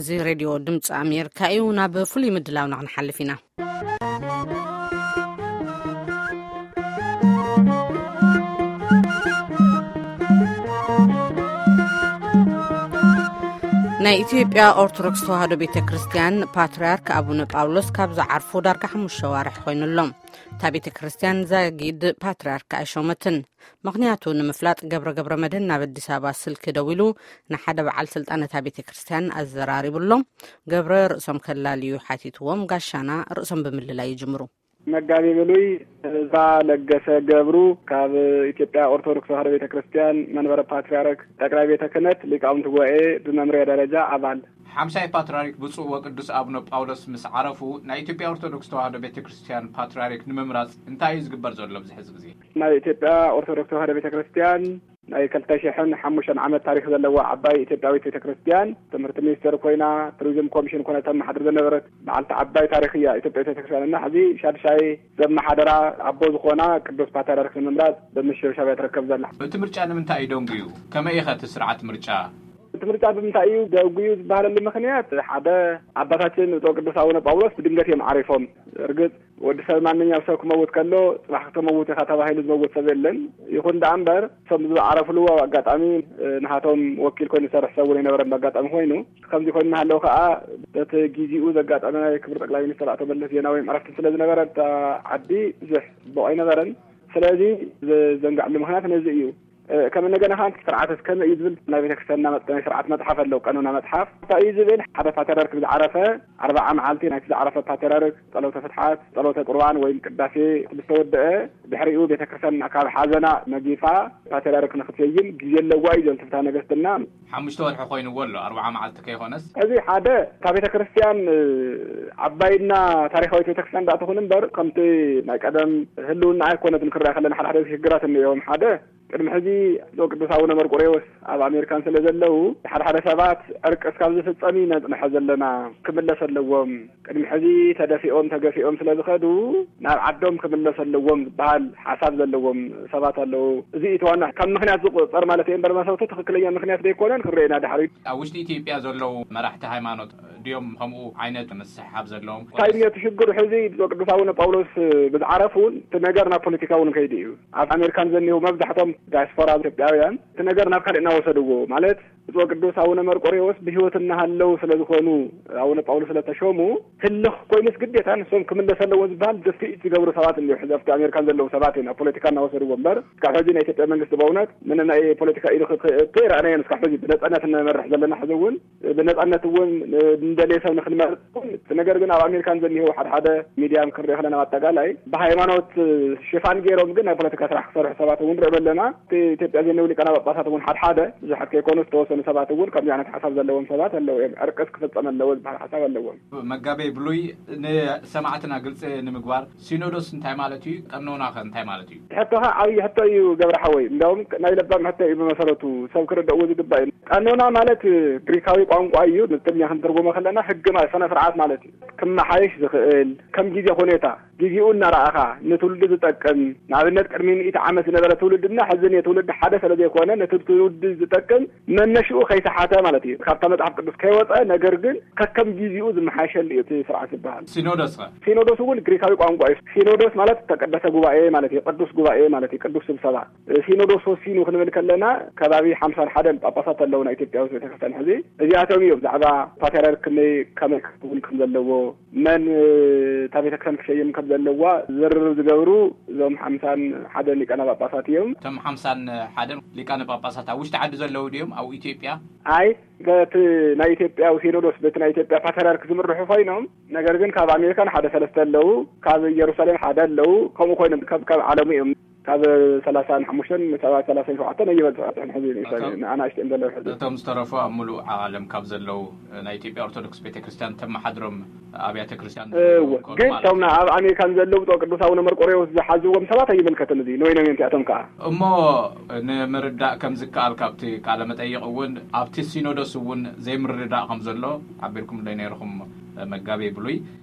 እዚ ሬድዮ ድምፂ ኣሜሪካ እዩ። ናብ ፍሉይ ምድላውና ክንሓልፍ ኢና። ናይ ኢትዮጵያ ኦርቶዶክስ ተዋህዶ ቤተ ክርስቲያን ፓትርያርክ ኣቡነ ጳውሎስ ካብ ዝዓርፉ ዳርጋ ሓሙሽተ ዋርሕ ኮይኑሎም። እታ ቤተ ክርስቲያን ዛጊድ ፓትርያርክ ኣይሾመትን። ምኽንያቱ ንምፍላጥ ገብረ ገብረ መድህን ናብ ኣዲስ ኣበባ ስልኪ ደዊሉ ንሓደ በዓል ስልጣን እታ ቤተ ክርስቲያን ኣዘራሪቡሎም። ገብረ ርእሶም ከላልዩ ሓቲትዎም፣ ጋሻና ርእሶም ብምልላይ ይጅምሩ። መጋቤ ብሉይ እዝራ ለገሰ ገብሩ ካብ ኢትዮጵያ ኦርቶዶክስ ተዋህዶ ቤተ ክርስቲያን መንበረ ፓትርያርክ ጠቅላይ ቤተ ክህነት ሊቃውንት ጉባኤ ብመምርያ ደረጃ ኣባል። ሓምሳይ ፓትርያርክ ብፁዕ ወቅዱስ ኣቡነ ጳውሎስ ምስ ዓረፉ ናይ ኢትዮጵያ ኦርቶዶክስ ተዋህዶ ቤተ ክርስቲያን ፓትርያርክ ንምምራጽ እንታይ እዩ ዝግበር ዘሎ ኣብዚ ሕዚ ግዜ? ናይ ኢትዮጵያ ኦርቶዶክስ ተዋህዶ ቤተ ክርስቲያን ናይ ክልተ ሽሕን ሓሙሽተን ዓመት ታሪኽ ዘለዋ ዓባይ ኢትዮጵያዊት ቤተ ክርስቲያን ትምህርቲ ሚኒስቴር ኮይና፣ ቱሪዝም ኮሚሽን ኮይና ተመሓድር ዝነበረት በዓልቲ ዓባይ ታሪኽ እያ ኢትዮጵያዊት ቤተ ክርስቲያን። እና ሕዚ ሻድሻይ ዘመሓደራ ኣቦ ዝኾና ቅዱስ ፓትርያርክ ንምምራጽ ብምሽብሻብ እያ ትርከብ ዘላ። እቲ ምርጫ ንምንታይ እዩ ደንጉዩ? ከመይ ኢኸ እቲ ስርዓት ምርጫ? እቲ ምርጫ ብምንታይ እዩ ደንጉዩ ዝበሃለሉ ምኽንያት፣ ሓደ፣ ኣባታችን ብፁዕ ቅዱስ ኣቡነ ጳውሎስ ብድንገት እዮም ዓሪፎም። እርግጥ ወዲ ሰብ፣ ማንኛውም ሰብ ክመውት ከሎ፣ ጽባሕ ክትመውት ኢኻ ተባሂሉ ዝመውት ሰብ የለን። ይኹን ደኣ እምበር፣ እቶም ዝዓረፍሉ ኣጋጣሚ፣ እ፣ ንሃቶም ወኪል ኮይኑ ዝሰርሕ ሰብ እውን ኣይነበረን። ብኣጋጣሚ ኮይኑ፣ ከምዚ ኮይኑ እናሃለወ ከኣ፣ በቲ ጊዜኡ ዘጋጠመ ናይ ክቡር ጠቅላይ ሚኒስትር ኣቶ መለስ ዜናዊ ዕረፍቲ ስለ ዝነበረ፣ እታ ዓዲ ብዙሕ ጽቡቕ ኣይነበረን። ስለዚ ዘዘንግዐሉ ምኽንያት ነዚ እዩ። እ፣ ከም እንደገና ከኣ ስርዓት እስከ ከመይ እዩ ዝብል ናይ ቤተክርስትያንና መጥ-፣ ናይ ስርዓት መጽሓፍ ኣለዉ፣ ቀኖና መጽሓፍ። እንታይ እዩ ዝብል? ሓደ ፓትርያርክ ብዝዓረፈ ኣርብዓ መዓልቲ ናይቲ ዝዓረፈ ፓትርያርክ ጸሎተ ፍትሓት፣ ጸሎተ ቁርባን ወይም ቅዳሴ ምስ ተወደአ፣ ድሕሪኡ ቤተክርስትያን ካብ ሓዘና መጊፋ ፓትርያርክ ንክትሰይም ግዜ ኣለዋ እዩ ዝብል ትፍትሐ ነገስትና። ሓሙሽተ ወርሒ ኮይንዎ ኣሎ፣ ኣርብዓ መዓልቲ ከይኮነስ። እዚ ሓደ፣ እታ ቤተክርስትያን፣ እ፣ ዓባይና ታሪኻዊት ቤተክርስትያን ደኣ ትኹን እምበር፣ ከምቲ ናይ ቀደም ህልውና ኣይኮነትን ክረኣ ከለና ሓደ ሓደ ሽግራት እኒኦም። ሓደ፣ ቅድሚ ሕዚ ብፁዕ ቅዱስ ኣቡነ መርቆሬዎስ ኣብ ኣሜሪካን ስለ ዘለዉ፣ ሓደ ሓደ ሰባት ዕርቂ እስካብ ዝፍጸም ኢና ንጽንሐ ዘለና፣ ክምለስ ኣለዎም። ቅድሚ ሕዚ ተደፊኦም ተገፊኦም ስለ ዝኸዱ፣ ናብ ዓዶም ክምለስ ኣለዎም ዝበሃል ሓሳብ ዘለዎም ሰባት ኣለዉ። እዚ እዩ እቲ ዋና ካብ ምኽንያት ዝቑጸር ማለት እዩ እምበር፣ መሰረቱ ትኽክለኛ ምኽንያት ዘይኮነን ክረአና ድሕሪት። ኣብ ውሽጢ ኢትዮጵያ ዘለዉ መራሕቲ ሃይማኖት ድዮም ከምኡ ዓይነት ምስሕሓብ ዘለዎም? እንታይ እዩ እቲ ሽግሩ? ሕዚ ብፁዕ ቅዱስ ኣቡነ ጳውሎስ ብዝዓረፉ እውን እቲ ነገር ናብ ፖለቲካ እውን ከይዱ እዩ። ኣብ ኣሜሪካን ዘኒሁ መብዛሕቶም ዳያስፖራ ኢትዮጵያውያን እቲ ነገር ናብ ካልእ እናወሰድዎ፣ ማለት ብፁዕ ቅዱስ ኣቡነ መርቆሬዎስ ብህይወት እናሃለዉ ስለ ዝኾኑ፣ ኣቡነ ጳውሎስ ስለ ተሾሙ፣ ህልኽ ኮይኑስ ግዴታ ንሶም ክምለስ ኣለዎ ዝበሃል ድፍኢት ዝገብሩ ሰባት እንዲሁ ሕዚ ኣብቲ ኣሜሪካን ዘለዉ ሰባት እዮም ናብ ፖለቲካ እናወሰድዎ እምበር፣ እስካብ ሕዚ ናይ ኢትዮጵያ መንግስቲ በእውነት ምንም ናይ ፖለቲካ ኢዱ ክእቱ ኣይረኣናዮን። እስካብ ሕዚ ብነጻነት እንመርሕ ዘለና ሕዚ እውን ብነጻነት እውን እንደልየ ሰብ ንክንመርጽ እውን፣ እቲ ነገር ግን ኣብ ኣሜሪካን ዘኒሄው ሓደ ሓደ ሚድያ ክንሪኦ ከለና፣ ኣጠቃላይ ብሃይማኖት ሽፋን ገይሮም ግን ናይ ፖለቲካ ስራሕ ክሰርሑ ሰባት እውን ንርኢ ኣለና። እቲ ኢትዮጵያ ዘኒሄው ሊቃነ ጳጳሳት እውን ሓደ ሓደ ብዙሓት ከይኮኑ ዝተወሰኑ ሰባት እውን ከምዚ ዓይነት ሓሳብ ዘለዎም ሰባት ኣለዉ እዮም። ዕርቅስ ክፍጸም ኣለዎ ዝበሃል ሓሳብ ኣለዎም። መጋቤ ብሉይ፣ ንሰማዕትና ግልጺ ንምግባር ሲኖዶስ እንታይ ማለት እዩ? ቀኖና ከ እንታይ ማለት እዩ? ሕቶኻ ዓብዪ ሕቶ እዩ ገብረ ሓወይ። እንዲያውም ናይ ለባም ሕቶ እዩ ብመሰረቱ፣ ሰብ ክርድእዎ ዝግባእ እዩ። ቀኖና ማለት ግሪካዊ ቋንቋ እዩ። ንትግርኛ ክንትርጉሞ ከለና ሕጊ ማለት ስነ ስርዓት ማለት እዩ። ክመሓየሽ ዝኽእል ከም ግዜ ሁኔታ፣ ግዜኡ እናረኣኻ ንትውልዲ ዝጠቅም፣ ንኣብነት ቅድሚ ሚእቲ ዓመት ዝነበረ ትውልድና ሕዚ ንትውልዲ ሓደ ስለ ዘይኮነ ነቲ ትውልዲ ዝጠቅም መነሽኡ ከይሰሓተ ማለት እዩ። ካብታ መጽሓፍ ቅዱስ ከይወጸ ነገር ግን ከከም ግዜኡ ዝመሓየሸሉ እዩ እቲ ስርዓት ዝበሃል። ሲኖዶስ ኸ? ሲኖዶስ እውን ግሪካዊ ቋንቋ እዩ። ሲኖዶስ ማለት ተቀደሰ ጉባኤ ማለት እዩ። ቅዱስ ጉባኤ ማለት እዩ። ቅዱስ ስብሰባ። ሲኖዶስ ወሲኑ ክንብል ከለና ከባቢ ሓምሳን ሓደን ጳጳሳት ኣለዉ ናይ ኢትዮጵያ ውስጥ ቤተክርስትያን ሕዚ። እዚኣቶም እዮም ብዛዕባ ፓትርያርክ ከመይ፣ ከመይ ክኸውን ከም ዘለዎ፣ መን እታ ቤተክርስትያን ክሸይም ከም ዘለዋ ዝርርብ ዝገብሩ እዞም ሓምሳን ሓደን ሊቃነ ጳጳሳት እዮም። እቶም ሓምሳን ሓደን ሊቃነ ጳጳሳት ኣብ ውሽጢ ዓዲ ዘለዉ ድዮም ኣብ ኢትዮጵያ? ኣይ፣ በቲ ናይ ኢትዮጵያ ሲኖዶስ፣ በቲ ናይ ኢትዮጵያ ፓትርያርክ ዝምርሑ ኮይኖም፣ ነገር ግን ካብ ኣሜሪካን ሓደ ሰለስተ ኣለዉ፣ ካብ ኢየሩሳሌም ሓደ ኣለዉ፣ ከምኡ ኮይኖም ካብ፣ ካብ ዓለሙ እዮም። ካብ ሰላሳን ሓሙሽተን ሰባት ሰላሳን ሸውዓተን ኣይበጽሑ እዮም ሕዚ ንእሽቶ፣ እቶም ንኣናእሽተን ዘለዉ ሕዚ። እቶም ዝተረፉ ኣብ ምሉእ ዓለም ካብ ዘለዉ ናይ ኢትዮጵያ ኦርቶዶክስ ቤተክርስትያን ተመሓድሮም ኣብያተ ክርስቲያን እወ፣ ዘለዉ ግን ማለት እቶም እዩ። ኣብ ኣሜሪካን ዘለዉ ብፁዕ ቅዱስ ኣቡነ መርቆሬዎስ ዝሓዝዎም ሰባት ኣይምልከትን። እዚ ንወይኖም እዮም እዚኣቶም ከኣ። እሞ ንምርዳእ ከም ዝከኣል ካብቲ ቃለ መጠይቕ እውን ኣብቲ ሲኖዶስ እውን ዘይምርድዳእ ከም ዘሎ ሓቢርኩም ዶ ነይርኹም መጋቤ ብሉይ?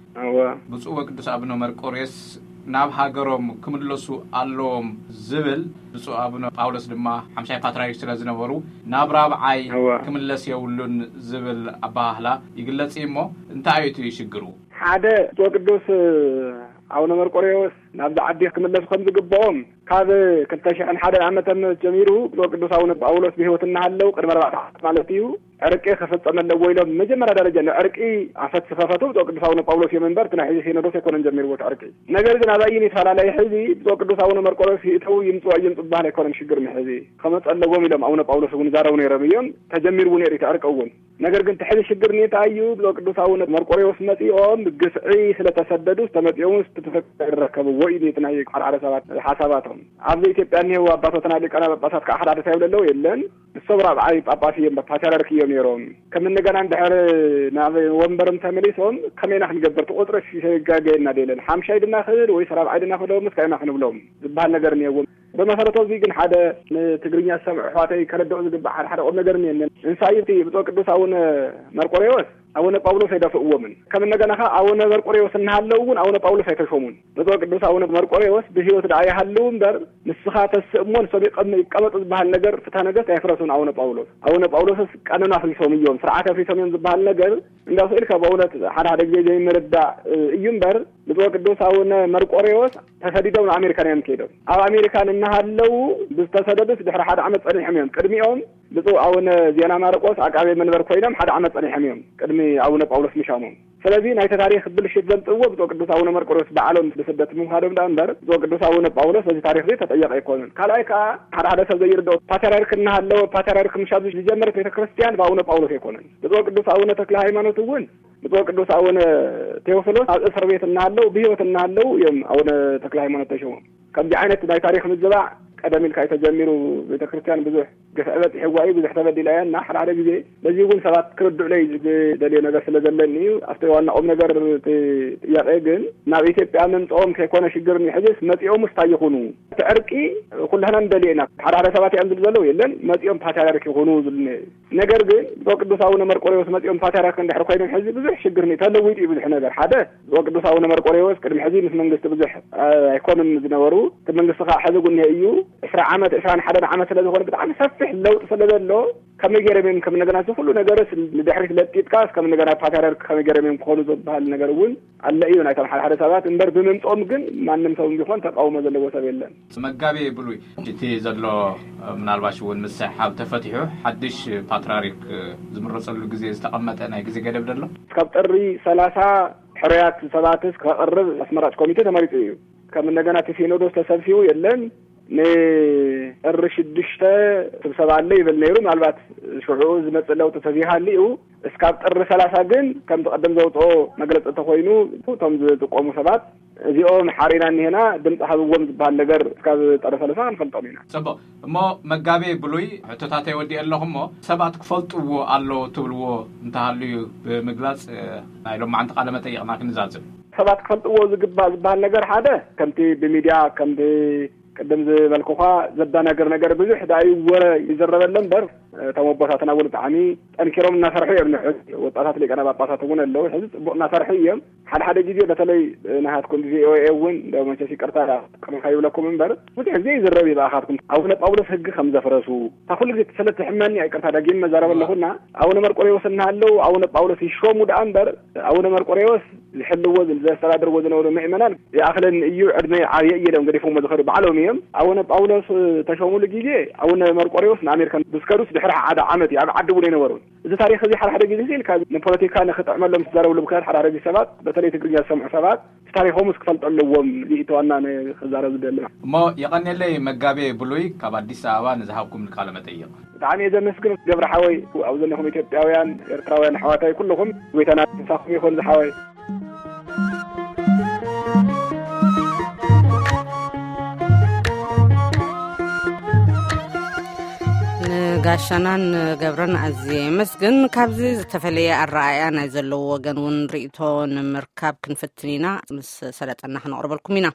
እወ። ብፁዕ ወቅዱስ ኣቡነ መርቆሬዎስ ናብ ሃገሮም ክምለሱ ኣለዎም ዝብል፣ ብፁዕ ኣቡነ ጳውሎስ ድማ ሓምሻይ ፓትርያርክ ስለ ዝነበሩ ናብ ራብዓይ እዋ። ክምለስ የብሉን ዝብል ኣባህላ ይግለጽ እዩ። እሞ እንታይ እዩ እቲ ሽግሩ? ሓደ፣ ብፁዕ ቅዱስ ኣቡነ መርቆሬዎስ ናብዚ ዓዲ ክምለሱ ከም ዝግብኦም ካብ ክልተ ሽሕን ሓደን ዓመተ ምህረት ጀሚሩ ብፁዕ ቅዱስ ኣቡነ ጳውሎስ ብህይወት እናሃለዉ ቅድሚ ኣርባዕተ ዓመት ማለት እዩ፣ ዕርቂ ክፍጸም ኣለዎ ኢሎም መጀመርያ ደረጃ ንዕርቂ ኣፈት ዝኸፈቱ ብፁዕ ቅዱስ ኣቡነ ጳውሎስ እዮም እምበር፣ እቲ ናይ ሕዚ ሲኖዶስ ኣይኮነን ጀሚርዎ እቲ ዕርቂ። ነገር ግን ኣብ ኣይን ይፈላለይ ሕዚ ብፁዕ ቅዱስ ኣቡነ መርቆሬዎስ ይእተዉ ይምጽኡ ኣይምጽኡ ዝበሃል ኣይኮነን ሽግር ንሕዚ። ክመጽእ ኣለዎም ኢሎም ኣቡነ ጳውሎስ እውን ይዛረቡ ነይሮም እዮም። ተጀሚሩ እውን ነይሩ እቲ ዕርቂ እውን። ነገር ግን እቲ ሕዚ ሽግር እንታይ እዩ? ብፁዕ ቅዱስ ኣቡነ መርቆሬዎስ መጺኦም ግፍዒ ስለተሰደዱ ዝተመጺኦም ዝተፈቀደ ይረከብዎ እዩ እቲ ናይ ሓደ ሓደ ሰባት ሓሳባቶም። ኣብዚ ኢትዮጵያ እኒሄው ኣባቶትና ሊቃነ ጳጳሳት ከዓ ሓደ እንታይ ይብሉ ኣለዉ? የለን፣ ንሶም ራብዓይ ጳጳስ እዮም፣ ፓትርያርክ እዮም ነይሮም። ከም እንደገና እንድሕር ናብ ወንበሮም ተመሊሶም ከመይና ክንገብር? እቲ ቁፅሪ ሲሰጋገየና ደለን ሓምሻይ ድና ክብል ወይስ ራብዓይ ድና ክብሎም እስካ ኢና ክንብሎም ዝበሃል ነገር እኒሄዎም። ብመሰረቱ እዚ ግን ሓደ ንትግርኛ ዝሰምዑ ኣሕዋተይ ከረድኦ ዝግባእ ሓደ ሓደ ቁም ነገር እኒሄንን። እንሳይ እቲ ብፁዕ ቅዱስ ኣቡነ መርቆሬዎስ ኣቡነ ጳውሎስ ኣይደፍእዎምን። ከም እንደገና ከዓ ኣቡነ መርቆሬዎስ እናሃለዉ እውን ኣቡነ ጳውሎስ ኣይተሾሙን። ብፁዕ ቅዱስ ኣቡነ መርቆሬዎስ ብህይወት ደኣ ይሃልዉ እምበር ንስኻ ተስእ እሞ ንሶም ይቀም-፣ ይቀመጡ ዝበሃል ነገር ፍትሐ ነገስት ኣይፍረሱን ኣቡነ ጳውሎስ። ኣቡነ ጳውሎስስ ቀኖና ኣፍሪሶም እዮም፣ ስርዓት ኣፍሪሶም እዮም ዝበሃል ነገር እንዳው ስኢልካ ብእውነት ሓደ ሓደ ግዜ ዘይምርዳእ እዩ እምበር ብፁዕ ቅዱስ ኣቡነ መርቆሬዎስ ተሰዲዶም ንኣሜሪካን እዮም ከይዶም። ኣብ ኣሜሪካን እናሃለዉ ብዝተሰደዱስ ድሕሪ ሓደ ዓመት ጸኒሖም እዮም። ቅድሚኦም ብፁዕ ኣቡነ ዜና ማርቆስ ዓቃቤ መንበር ኮይኖም ሓደ ዓመት ጸኒሖም እዮም። ቅድሚ ኣቡነ ጳውሎስ ምሻሞም። ስለዚ ናይቲ ታሪኽ ብልሽት ዘምጽእዎ ብፁዕ ቅዱስ ኣቡነ መርቆሬዎስ ባዕሎም ብስደት ምምኻዶም ደኣ እምበር ብፁዕ ቅዱስ ኣቡነ ጳውሎስ በዚ ታሪኽ እዚ ተጠየቐ ኣይኮኑን። ካልኣይ ከኣ ሓደ ሓደ ሰብ ዘይርድኦ ፓትርያርክ እናሃለወ ፓትርያርክ ምሻም ዝጀመረት ቤተ ክርስቲያን ብኣቡነ ጳውሎስ ኣይኮነን። ብፁዕ ቅዱስ ኣቡነ ተክለ ሃይማኖት እውን ብፁዕ ቅዱስ ኣቡነ ቴዎፍሎስ ኣብ እስር ቤት እናሃለዉ ብህይወት እናሃለዉ እዮም ኣቡነ ተክለ ሃይማኖት ተሾሞም። ከምዚ ዓይነት ናይ ታሪኽ ምዝባዕ ቀደም ኢልካ እዩ ተጀሚሩ። ቤተ ክርስቲያን ብዙሕ ግፍዒ በፂሕዋ እዩ፣ ብዙሕ ተበዲላ እያ እና ሓደ ሓደ ግዜ በዚ እውን ሰባት ክርድዑለይ ዝደልዮ ነገር ስለ ዘለኒ እዩ። ኣብቲ ዋና ቁም ነገር እቲ ጥያቄ ግን ናብ ኢትዮጵያ ምምፅኦም ከይኮነ ሽግር እኒ ሕዚስ መፂኦም ውስታ ይኹኑ። እቲ ዕርቂ ኩላህና ንደልዮ ኢና። ሓደ ሓደ ሰባት እዮም ዝብሉ ዘለዉ የለን መፂኦም ፓትርያርክ ይኹኑ ዝብሉ እኒሄ። ነገር ግን ብፁዕ ቅዱስ ኣቡነ መርቆሬዎስ መፂኦም ፓትርያርክ እንድሕር ኮይኖም ሕዚ ብዙሕ ሽግር እኒ ተለዊጡ እዩ ብዙሕ ነገር። ሓደ ብፁዕ ቅዱስ ኣቡነ መርቆሬዎስ ቅድሚ ሕዚ ምስ መንግስቲ ብዙሕ አ፣ ኣይኮኑን ዝነበሩ። እቲ መንግስቲ ከዓ ሕዚ እውን እኒሄ እዩ። ዕስራ ዓመት፣ ዕስራን ሓደን ዓመት ስለ ዝኾነ ብጣዕሚ ሰፊሕ ለውጢ ስለ ዘሎ ከመይ ገይሮም እዮም ከም እንደገና እዚ ኩሉ ነገርስ ንድሕሪት ለጢጥካስ ከም እንደገና ፓትርያርክ ከመይ ገይሮም እዮም ክኾኑ ዝበሃል ነገር እውን ኣሎ እዩ ናይቶም ሓደ ሓደ ሰባት እምበር ብምምፅኦም ግን ማንም ሰብ ቢኾን ተቃውሞ ዘለዎ ሰብ የለን። መጋቤ ብሉይ እቲ ዘሎ ምናልባሽ እውን ምስሕሓብ ተፈቲሑ ሓድሽ ፓትርያርክ ዝምረፀሉ ግዜ ዝተቐመጠ ናይ ግዜ ገደብ ደሎ? እስካብ ጥሪ ሰላሳ ሕሩያት ሰባትስ ከቕርብ ኣስመራጭ ኮሚቴ ተመሪፁ እዩ። ከም እንደገና እቲ ሲኖዶስ ተሰብሲቡ የለን። ንጥሪ ሽዱሽተ ስብሰባ ኣሎ ይብል ነይሩ። ምናልባት ሽዑ ዝመፅእ ለውጢ ተዘይሃልዩ እስካብ ጥሪ ሰላሳ ግን ከምቲ ቀደም ዘውፅኦ መግለፂ እንተኮይኑ እቶም ዝጥቀሙ ሰባት እዚኦም ሓሪና እኒሄና ድምፂ ሃብዎም ዝበሃል ነገር እስካብ ጥሪ ሰላሳ ክንፈልጦም ኢና። ፅቡቅ። እሞ መጋቤ ብሉይ ሕቶታተይ ወዲኤ ኣለኹ እሞ ሰባት ክፈልጥዎ ኣለዎ ትብልዎ እንተሃልዩ ብምግላፅ፣ እ፣ ናይ ሎማዓንቲ ቃለ መጠይቕና ክንዛዝም። ሰባት ክፈልጥዎ ዝግባእ ዝበሃል ነገር ሓደ ከምቲ ብሚድያ ከምቲ ቅድም ዝበልኩኻ ዘዳናግር ነገር ብዙሕ ደኣ እዩ ወረ ይዝረበለ እምበር እቶም ኣቦታትና እውን ብጣዕሚ ጠንኪሮም እናሰርሑ እዮም። ንሕዚ ወጣታት ሊቃነ ጳጳሳት እውን ኣለዉ። ሕዚ ፅቡቅ እናሰርሑ እዮም። ሓደ ሓደ ግዜ በተለይ ናሃትኩም ቪኦኤ እውን እንደ መቸስ ይቅርታ ቅርታ ይብለኩም እምበር ብዙሕ ግዜ ይዝረብ እዩ ብኣኻትኩም ኣቡነ ጳውሎስ ህጊ ከም ዘፍረሱ እታ ኩሉ ግዜ ስለ ትሕመኒ ይቅርታ ደጊም መዛረብ ኣለኹና ኣቡነ መርቆሬዎስ እናሃለዉ ኣቡነ ጳውሎስ ይሾሙ ደኣ እምበር ኣቡነ መርቆሬዎስ ዝሕልዎ ዘስተዳድርዎ ዝነበሩ ምእመናን ይኣኽለኒ እዩ ዕድመ ዓብየ እዩ ኢሎም ገዲፎሞ ዝኸዱ ባዕሎም እዮም። ኣቡነ ጳውሎስ ተሾሙሉ ግዜ ኣቡነ መርቆሬዎስ ንኣሜሪካ ብዝከዱስ ድሕሪ ሓደ ዓመት እዩ ኣብ ዓዲ እውን ኣይነበሩን። እዚ ታሪኽ እዚ ሓደ ሓደ ግዜ ኢልካ ንፖለቲካ ንክጥዕመሎም ዝዛረብሉ ምክንያት ሓደ ሓደ ግዜ ሰባት በተለይ ትግርኛ ዝሰምዑ ሰባት እቲ ታሪኾምስ ክፈልጡ ኣለዎም። እዚ እቲ ዋና ክዛረብ ዝደሊ። እሞ የቐንየለይ መጋቤ ብሉይ ካብ ኣዲስ ኣበባ ንዝሃብኩም ቃለ መጠይቕ። ብጣዕሚ እየ ዘመስግን ገብረ ሓወይ ኣብ ዘኒኹም ኢትዮጵያውያን ኤርትራውያን ኣሕዋታይ ኩልኹም ጎይታና ምሳኹም ይኹን ዝሓወይ። ንጋሻናን ገብረን ኣዝየ የመስግን። ካብዚ ዝተፈለየ ኣረኣእያ ናይ ዘለዎ ወገን እውን ርእይቶ ንምርካብ ክንፍትን ኢና። ምስ ሰለጠና ክነቕርበልኩም ኢና።